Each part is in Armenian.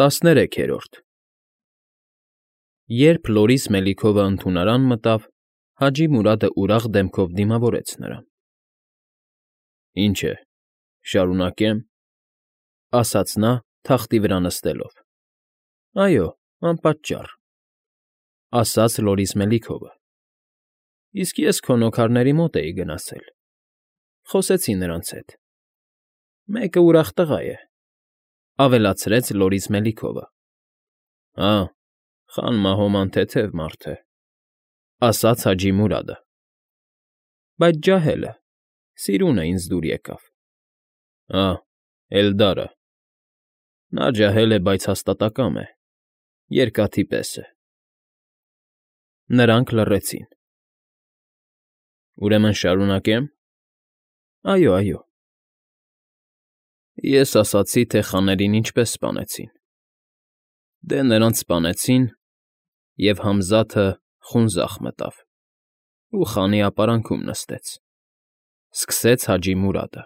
13-րդ Երբ Լորիս Մելիքովը ընդունարան մտավ, Հաջի Մուրադը ուրախ դեմքով դիմավորեց նրան։ ֊ Ինչ է, շարունակե՞մ,֊ ասաց նա, թախտի վրա նստելով։ ֊ Այո, անպատճառ,֊ ասաց Լորիս Մելիքովը։ ֊ Իսկ ես քո նոքարների մոտ էի գնացել, խոսեցի նրանց հետ։ Մեկը ուրախ տղա է,֊ ավելացրեց Լորիս Մելիքովը։ ֊ Հա, Խան Մահոման թեթև մարդ է,֊ ասաց Հաջի Մուրադը։ ֊ Բայց ջահել է, սիրունը ինձ դուր եկավ։ ֊ Ա, Էլդարը… Նա ջահել է, բայց հաստատակամ է, երկաթի պես է… Նրանք լռեցին։ ֊ Ուրեմն շարունակե՞մ։ ֊ Այո, այո։ Ես ասացի, թե խաներին ինչպես սպանեցին։ Դե նրանց սպանեցին, և Համզաթը խունձախ մտավ ու խանի ապարանքում նստեց,֊ սկսեց Հաջի Մուրադը։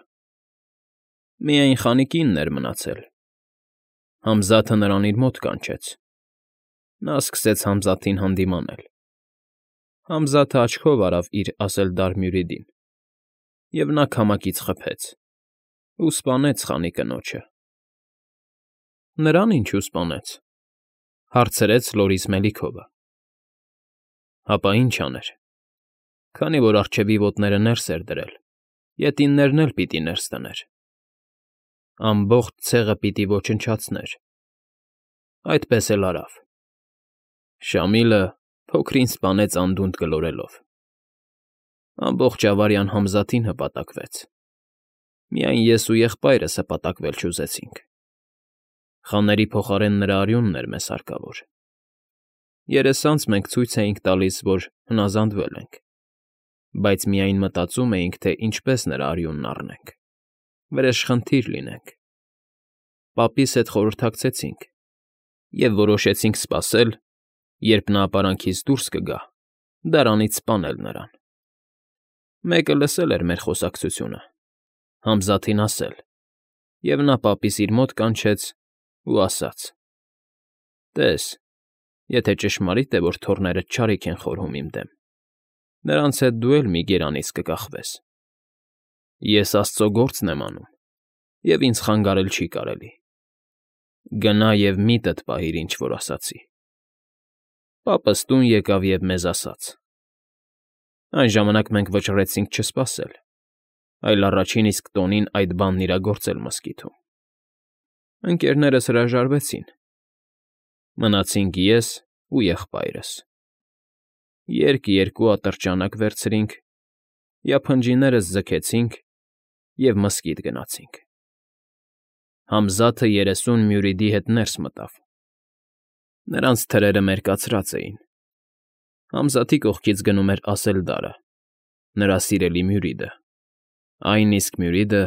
Միայն խանի կինն էր մնացել։ Համզաթը նրան իր մոտ կանչեց։ Նա սկսեց Համզաթին հանդիմանել։ Համզաթը աչքով արավ իր Ասլդար-Մյուրիդին, և նա քամակից խփեց ու սպանեց խանի կնոջը։ ֊ Նրան ինչու սպանեց,֊ հարցրեց Լորիս Մելիքովը։ ֊ Հապա ինչ աներ, քանի որ առջևի ոտները ներս էր դրել, ետիններն էլ պիտի ներս դներ։ Ամբողջ ցեղը պիտի ոչնչացներ։ Այդպես էլ արավ։ Շամիլը փոքրին սպանեց անդունդը գլորելով։ Ամբողջ ավարյան Համզաթին հպատակվեց։ Միայն ես ու եղբայրս հպատակվել չուզեցինք։ Խաների փոխարեն նրա արյունն էր մեզ հարկավոր։ Երեսանց մենք ցույց էինք տալիս, որ հնազանդվել ենք, բայց միայն մտածում էինք, թե ինչպես նրա արյունն առնենք, վրեժխնդիր լինենք։ Պապիս հետ խորհրդակցեցինք և որոշեցինք սպասել, երբ նա ապարանքից դուրս կգա, դարանից սպանել նրան։ Մեկը լսել էր մեր խոսակցությունը, Համզաթին ասել, և նա պապիս իր մոտ կանչեց ու ասաց. «Տես, եթե ճշմարիտ է, որ թոռներդ չարիք են խորհում իմ դեմ, նրանց հետ դու էլ մի գերանից կկախվես։ Ես աստծո գործն եմ անում, և ինձ խանգարել չի կարելի։ Գնա և միտդ պահիր, ինչ որ ասացի»։ Պապս տուն եկավ և մեզ ասաց։ Այն ժամանակ մենք վճռեցինք չսպասել, այլ առաջին իսկ տոնին այդ բանն իրագործել մզկիթում։ Ընկերներս հրաժարվեցին։ Մնացինք ես ու եղբայրս։ Երկ-երկու ատրճանակ վերցրինք, յափնջիներս ձգեցինք և մզկիթ գնացինք։ Համզաթը 30 մյուրիդի հետ ներս մտավ։ Նրանց թրերը մերկացրած էին։ Համզաթի կողքից գնում էր Ասլդարը, նրա սիրելի մյուրիդը, այն իսկ մյուրիդը,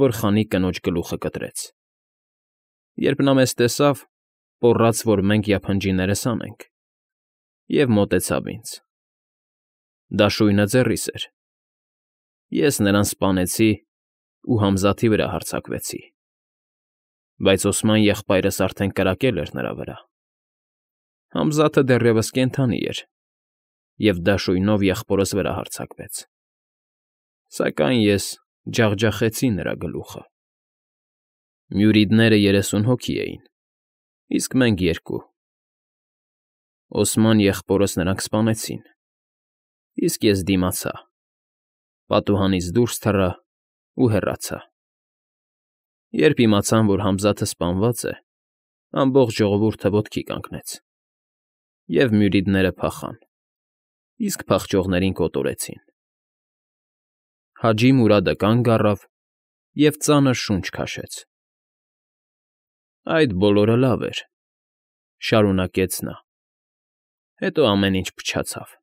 որ խանի կնոջ գլուխը կտրեց։ Երբ նա մեզ տեսավ, պոռաց, որ մենք յափնջիներս հանենք, և մոտեցավ ինձ։ Դաշույնը ձեռիս էր։ Ես նրան սպանեցի ու Համզաթի վրա հարձակվեցի, բայց Օսման եղբայրս արդեն կրակել էր նրա վրա։ Համզաթը դեռևս կենդանի էր և դաշույնով եղբորս վրա հարձակվեց։ Սակայն ես ջախջախեցի նրա գլուխը։ Մյուրիդները 30 հոգի էին, իսկ մենք երկու։ Օսման եղբորս նրանք սպանեցին, իսկ ես դիմացա, պատուհանից դուրս թռա ու հեռացա։ Երբ իմացան, որ Համզաթը սպանված է, ամբողջ ժողովուրդը ոտքի կանգնեց, և մյուրիդները փախան, իսկ փախչողներին կոտորեցին։ Հաջի Մուրադը կանգ առավ և ծանր շունչ քաշեց։ Այդ բոլորը լավ էր,֊ շարունակեց նա։ Հետո ամեն ինչ փչացավ։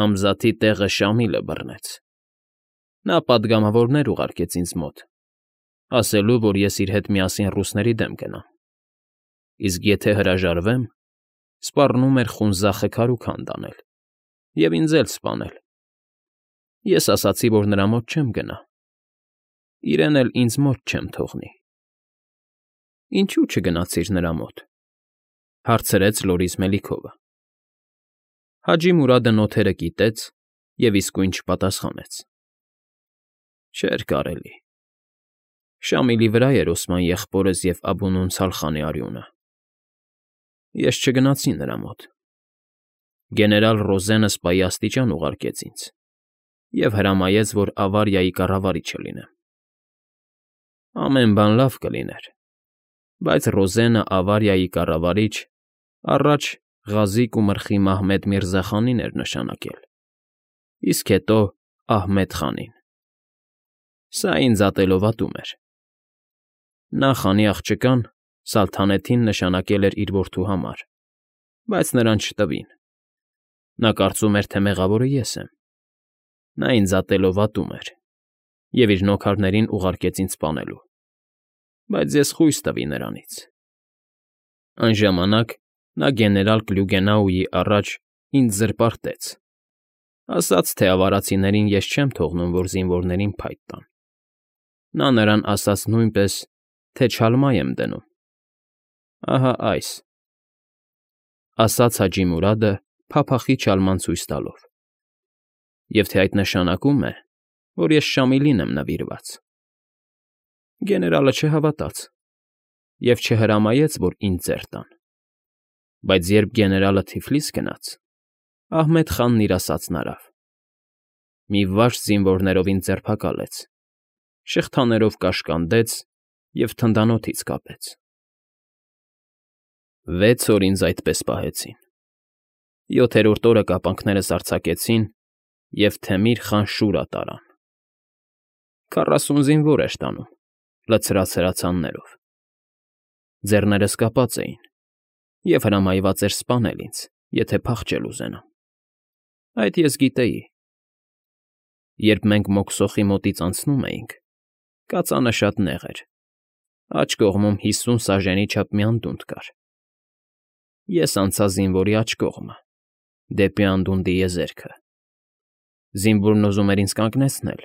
Համզաթի տեղը Շամիլը բռնեց։ Նա պատգամավորներ ուղարկեց ինձ մոտ, ասելու, որ ես իր հետ միասին ռուսների դեմ գնամ, իսկ եթե հրաժարվեմ, սպառնում էր խունձախը քարուք հանդանել և ինձ էլ սպանել։ Ես ասացի, որ նրա մոտ չեմ գնա, իրեն էլ ինձ մոտ չեմ թողնի։ Ինչու չգնացիր նրա մոտ,֊ հարցրեց Լորիս Մելիքովը։ Հաջի Մուրադը նոթերը կիտեց և իսկույն չպատասխանեց։ Չէր կարելի։ Շամիլի վրա էր Օսման եղբորս և Աբու Սալխանի արյունը։ Ես չգնացի նրա մոտ։ Գեներալ Ռոզենը սպայի աստիճան ուղարկեց ինձ և հրամայեց, որ ավարիայի կառավարիչը լինեմ։ Ամեն բան լավ կլիներ, բայց Ռոզենը ավարիայի կառավարիչ առաջ Ղազիկ ու Մրխի Մահմեդ Միրզա խանին էր նշանակել, իսկ հետո Ահմեդ խանին։ Սա ինձ ատելով ատում էր։ Նա խանի աղջկան Սալթանեթին նշանակել էր իր որդու համար, բայց նրան չտվին։ Նա կարծում էր, թե մեղավորը ես եմ։ Նա ինձ ատելով ատում էր և իր նոքարներին ուղարկեց ինձ սպանելու, բայց ես խույս տվի նրանից։ Այն ժամանակ նա գեներալ Կլյուգենաուի առաջ ինձ զրպարտեց, ասաց, թե ավարացիներին ես չեմ թողնում, որ զինվորներին փայտ տան։ Նա նրան ասաց նույնպես, թե չալմա եմ դնում։ Ահա այս, ասաց Հաջի Մուրադը փափախի չալման ցույց տալով, և թե այդ նշանակում է, որ ես Շամիլին եմ նվիրված։ Գեներալը չհավատաց և չհրամայեց, որ ինձ ձեռ տան։ Բայց երբ գեներալը Թիֆլիս գնաց, Ահմեդ խանն իր ասածն արավ։ Մի վաշտ զինվորներով ինձ ձերբակալեց, շղթաներով կաշկանդեց և թնդանոթից կապեց։ 6 օր ինձ այդպես պահեցին։ 7-րդ օրը կապանքներս արձակեցին և Թեմիր խան Շուրա տարան։ 40 զինվոր էր տանում, լցրած հրացաններով։ Ձեռներս կապած էին, և հրամայված էր սպանել ինձ, եթե փախչել ուզենամ։ Այդ ես գիտեի։ Երբ մենք Մոքսոխի մոտից անցնում էինք, կածանը շատ նեղ էր, աջ կողմում 50 սաժենի չափ մի անդունդ կար։ Ես անցա զինվորի աջ կողմը, դեպի անդունդի եզերքը։ Զինվորն ուզում էր ինձ կանգնեցնել,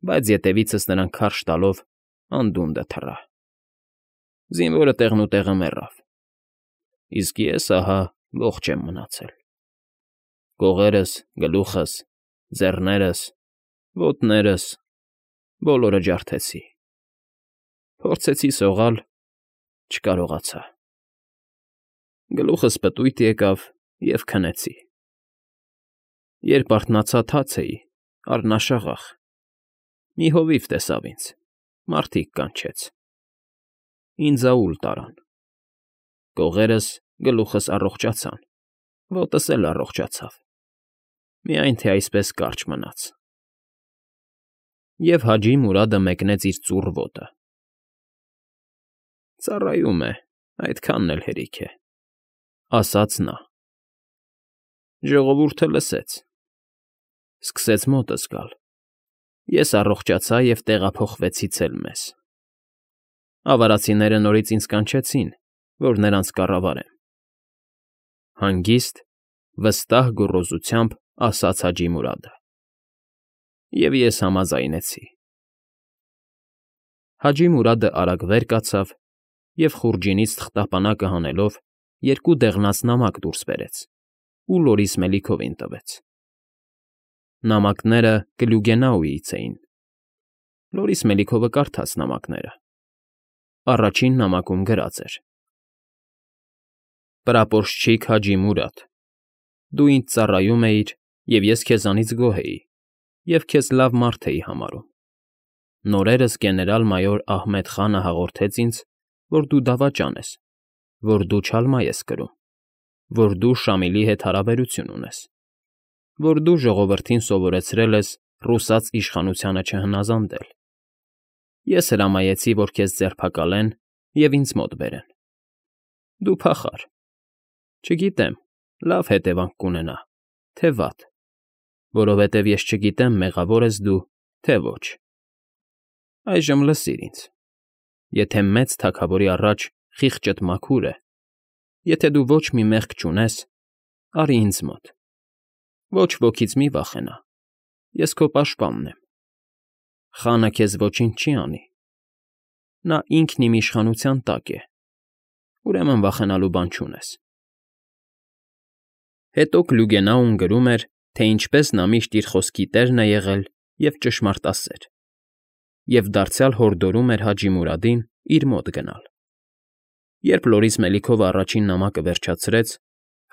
բայց ետևիցս նրան քարշ տալով անդունդը թռա։ Զինվորը տեղնուտեղը մեռավ, իսկ ես, ահա, ողջ եմ մնացել։ Կողերս, գլուխս, ձեռներս, ոտներս բոլորը ջարդեցի։ Փորձեցի սողալ, չկարողացա։ Գլուխս պտույտ եկավ և քնեցի։ Երբ արթնացա, թաց էի, առնաշաղախ։ Մի հովիվ տեսավ ինձ, մարդիկ կանչեց։ Ինձ աուլ տարան։ Կողերս, գլուխս առողջացան, ոտս էլ առողջացավ, միայն թե այսպես կարճ մնաց։ Եվ Հաջի Մուրադը մեկնեց իր ծուռ ոտը։ Ծառայում է, այդքանն էլ հերիք է, ասաց նա։ Ժողովուրդը լսեց։ Սկսեց մոտս գալ։ Ես առողջացա և տեղափոխվեցի ծել մեզ։ Ավարացիները նորից ինձ կանչեցին, որ նրանց կառավարեմ։ Հանգիստ, վստահ գոռոզությամբ ասաց Հաջի Մուրադը։ Եվ ես համաձայնեցի։ Հաջի Մուրադը արագ վեր կացավ և խուրջինից թղթապանակը հանելով 2 դեղնած նամակ դուրս բերեց ու Լորիս Մելիքովին տվեց։ Նամակները Կլյուգենաուից էին։ Լորիս Մելիքովը կարդաց նամակները։ Առաջին նամակում գրած էր. Պրապորշչիկ Հաջի Մուրադ, դու ինձ ծառայում էիր, և ես քեզանից գոհ էի, և քեզ լավ մարդ էի համարում։ Նորերս գեներալ֊մայոր Ահմեդ խանը հաղորդեց ինձ, որ դու դավաճան ես, որ դու չալմա ես կրում, որ դու Շամիլի հետ հարաբերություն ունես, որ դու ժողովրդին սովորեցրել ես ռուսաց իշխանությանը չհնազանդել։ Ես հրամայեցի, որ քեզ ձերբակալեն և ինձ մոտ բերեն։ Դու փախար։ Չգիտեմ, լավ հետևանք կունենա, թե վատ, որովհետև ես չգիտեմ մեղավոր ես դու, թե ոչ։ Այժմ լսիր ինձ. եթե մեծ թագավորի առաջ խիղճդ մաքուր է, եթե դու ոչ մի մեղք չունես, արի ինձ մոտ։ Ոչ ոքից մի վախենա, ես քո պաշտպանն եմ։ Խանը քեզ ոչինչ չի անի։ Նա ինքն իմ իշխանության տակ է, ուրեմն վախենալու բան չունես։ Հետո Կլուգենաուն գրում էր, թե ինչպես նա միշտ իր խոսքի տերն է եղել և ճշմարտասեր, և դարձյալ հորդորում էր Հաջի Մուրադին իր մոտ գնալ։ Երբ Լորիս Մելիքովը առաջին նամակը վերջացրեց,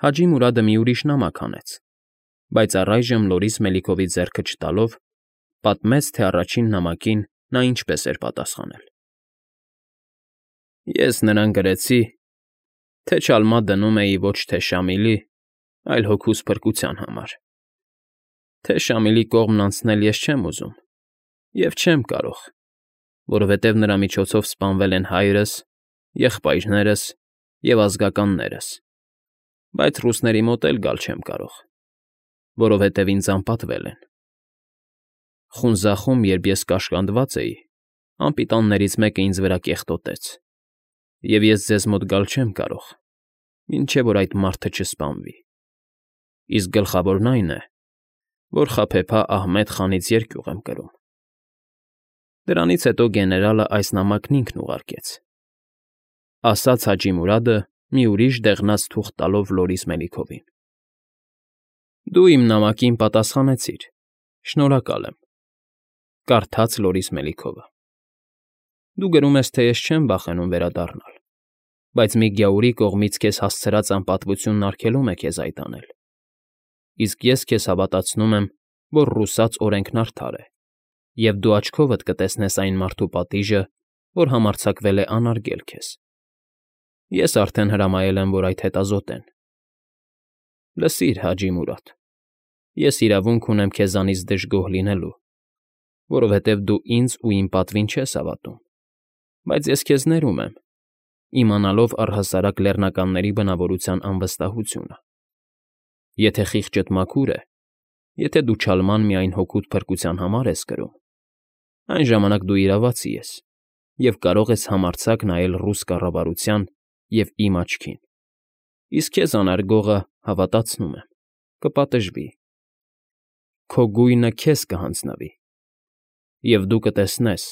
Հաջի Մուրադը մի ուրիշ նամակ հանեց, բայց առայժմ Լորիս Մելիքովի ձեռքը չտալով, պատմեց, թե առաջին նամակին նա ինչպես էր պատասխանել. Ես նրան գրեցի, թե չալմա դնում էի ոչ թե Շամիլի, այլ հոգուս փրկության համար, թե Շամիլի կողմն անցնել ես չեմ ուզում և չեմ կարող, որովհետև նրա միջոցով սպանվել են հայրս, եղբայրներս և ազգականներս, բայց ռուսների մոտ էլ գալ չեմ կարող, որովհետև ինձ անպատվել են։ Խունզախում, երբ ես կաշկանդված էի, անպիտաններից մեկը ինձ վրա կեղտոտեց, և ես ձեզ մոտ գալ չեմ կարող, մինչև որ այդ մարդը չսպանվի։ Իսկ գլխավորն այն է, որ խաբեբա Ահմեդ խանից երկյուղ եմ կրում։ Դրանից հետո գեներալը այս նամակն ինքն ուղարկեց, ասաց Հաջի Մուրադը մի ուրիշ դեղնած թուղթ տալով Լորիս Մելիքովին։ Դու իմ նամակին պատասխանեցիր, շնորհակալ եմ, կարդաց Լորիս Մելիքովը։ Դու գրում ես, թե ես չեմ վախենում վերադառնալ, բայց մի գյաուրի կողմից քեզ հասցրած անպատվությունն արգելում է քեզ այդ անել։ Իսկ ես քեզ հավատացնում եմ, որ ռուսաց օրենքն արդար է, և դու աչքովդ կտեսնես այն մարդու պատիժը, որ համարձակվել է անարգել քեզ։ Ես արդեն հրամայել եմ, որ այդ հետազոտեն։ Լսիր, Հաջի Մուրադ, ես իրավունք ունեմ քեզանից դժգոհ լինելու, որովհետև դու ինձ ու իմ պատվին չես հավատում, բայց ես քեզ ներում եմ, իմանալով առհասարակ լեռնականների բնավորության անվստահությունը։ Եթե խիղճդ մաքուր է, եթե դու չալման միայն հոգուդ փրկության համար ես կրում, այն ժամանակ դու իրավացի ես և կարող ես համարձակ նայել ռուս կառավարության և իմ աչքին, իսկ քեզ անարգողը, հավատացնում եմ, կպատժվի, քո գույնը քեզ կհանձնվի, և դու կտեսնես,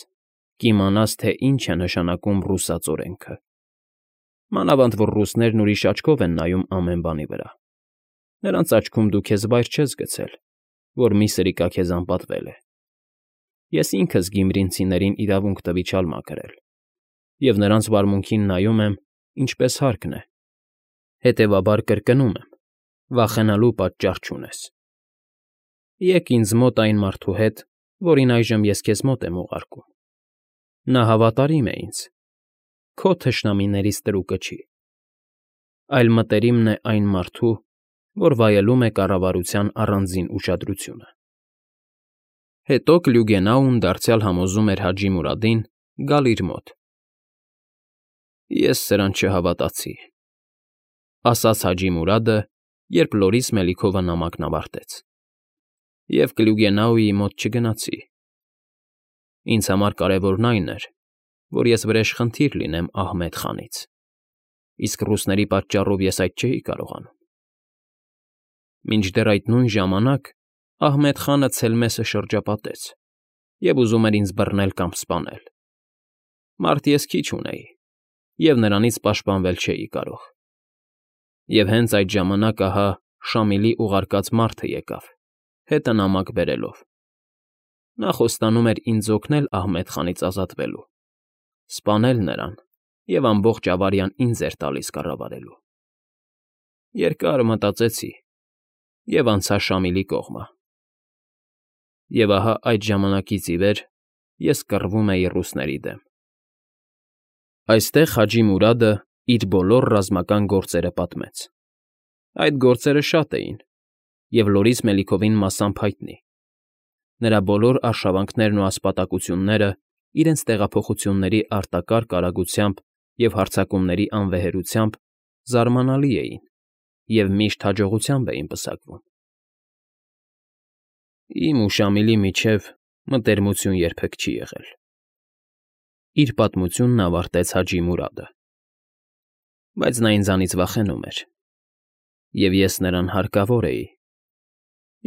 կիմանաս, թե ինչ է նշանակում ռուսաց օրենքը։ Մանավանդ որ ռուսներն ուրիշ աչքով են նայում ամեն բանի վրա։ Նրանց աչքում դու քեզ վայր չես գցել, որ մի սրիկա քեզ անպատվել է։ Ես ինքս գիմրինցիներին իրավունք տվի չալմա կրել, և նրանց վարմունքին նայում եմ, ինչպես հարկն է, հետևաբար կրկնում եմ, վախենալու պատճառ չունես։ Եկ ինձ մոտ այն մարդու հետ, որին այժմ ես քեզ մոտ եմ ուղարկում։ Նա հավատարիմ է ինձ, քո թշնամիներից տրուկը չի, այլ մտերիմն է այն մարդու, որ վայելում է կառավարության առանձին ուշադրությունը։ Հետո Կլյուգենաուն դարձյալ համոզում էր Հաջի Մուրադին գալ իր մոտ։ Ես սրան չհավատացի, ասաց Հաջի Մուրադը, երբ Լորիս Մելիքովը նամակն ավարտեց, և Կլյուգենաուի մոտ չգնացի։ Ինձ համար կարևորն այն էր, որ ես վրեժխնդիր լինեմ Ահմեդ խանից, իսկ ռուսների պատճառով ես այդ չէի կարողանում։ Մինչդեռ այդ նույն ժամանակ Ահմեդ խանը Ցելմեսը շրջապատեց և ուզում էր ինձ բռնել կամ սպանել։ Մարդ ես քիչ ունեի, և նրանից պաշտպանվել չէի կարող։ Եվ հենց այդ ժամանակ ահա Շամիլի ուղարկած մարդը եկավ, հետը նամակ բերելով։ Նա խոստանում էր ինձ օգնել Ահմեդ խանից ազատվելու, սպանել նրան և ամբողջ ավարյան ինձ էր տալիս կառավարելու։ Երկար մտածեցի և անցա Շամիլի կողմը։ Եվ ահա այդ ժամանակից ի վեր ես կռվում էի ռուսների դեմ։ Այստեղ Հաջի Մուրադը իր բոլոր ռազմական գործերը պատմեց։ Այդ գործերը շատ էին, և Լորիս Մելիքովին մասամբ հայտնի։ Նրա բոլոր արշավանքներն ու ասպատակությունները իրենց տեղափոխությունների արտակարգ արագությամբ և հարձակումների անվեհերությամբ զարմանալի էին և միշտ հաջողությամբ էին պսակվում։ Իմ ու Շամիլի միջև մտերմություն երբեք չի եղել, իր պատմությունն ավարտեց Հաջի Մուրադը, բայց նա ինձանից վախենում էր, և ես նրան հարկավոր էի,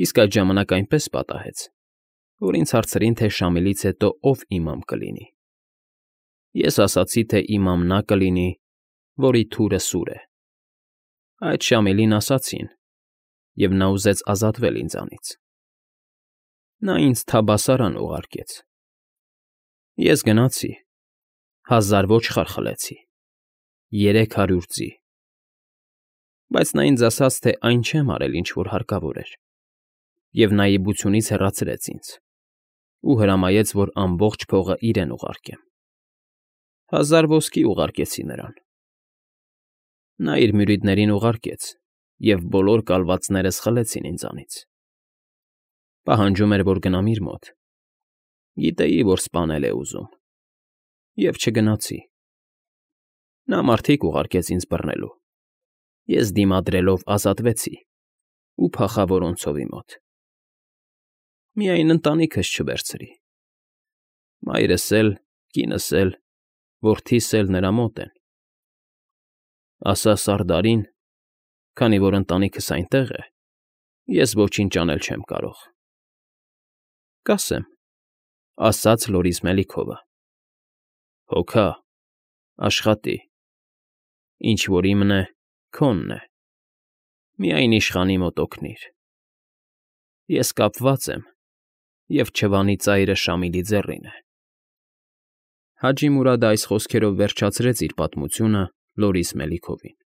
իսկ այդ ժամանակ այնպես պատահեց, որ ինձ հարցրին, թե Շամիլից հետո ով իմամ կլինի։ Ես ասացի, թե իմ ամնա կլինի, որի թուրը սուր է։ Այդ Շամիլին ասացին, և նա ուզեց ազատվել ինձանից։ Նա ինձ թաբասարան ուղարկեց։ Ես գնացի, 1000 ոչխար խլեցի, 300 ձի։ Բայց նա ինձ ասաց, թե այն չեմ արել, ինչ որ հարկավոր էր, և նաիբությունից հեռացրեց ինձ ու հրամայեց, որ ամբողջ փողը իրեն ուղարկեմ։ 1000 ոսկի ուղարկեցի նրան։ Նա իր մյուրիդներին ուղարկեց, և բոլոր կալվածներս խլեցին ինձանից։ Պահանջում էր, որ գնամ իր մոտ։ Գիտեի, որ սպանել է ուզում, և չգնացի։ Նա մարդիկ ուղարկեց ինձ բռնելու։ Ես դիմադրելով ազատվեցի ու փախա որոնցովի մոտ։ Միայն ընտանիքս չվերցրի։ Մայրս էլ, կինս էլ, որդիս էլ նրա մոտ են։ Ասա Սարդարին, քանի որ ընտանիքս այնտեղ է, ես ոչինչ անել չեմ կարող։ ֊ Կասեմ, ֊ ասաց Լորիս Մելիքովը։ ֊ Հոգա, աշխատի, ինչ որ իմն է, քոնն է, միայն իշխանի մոտ օգնիր։ Ես կապված եմ, և չվանի ծայրը Շամիլի ձեռին է։ Հաջի Մուրադը այս խոսքերով վերջացրեց իր պատմությունը Լորիս Մելիքովին։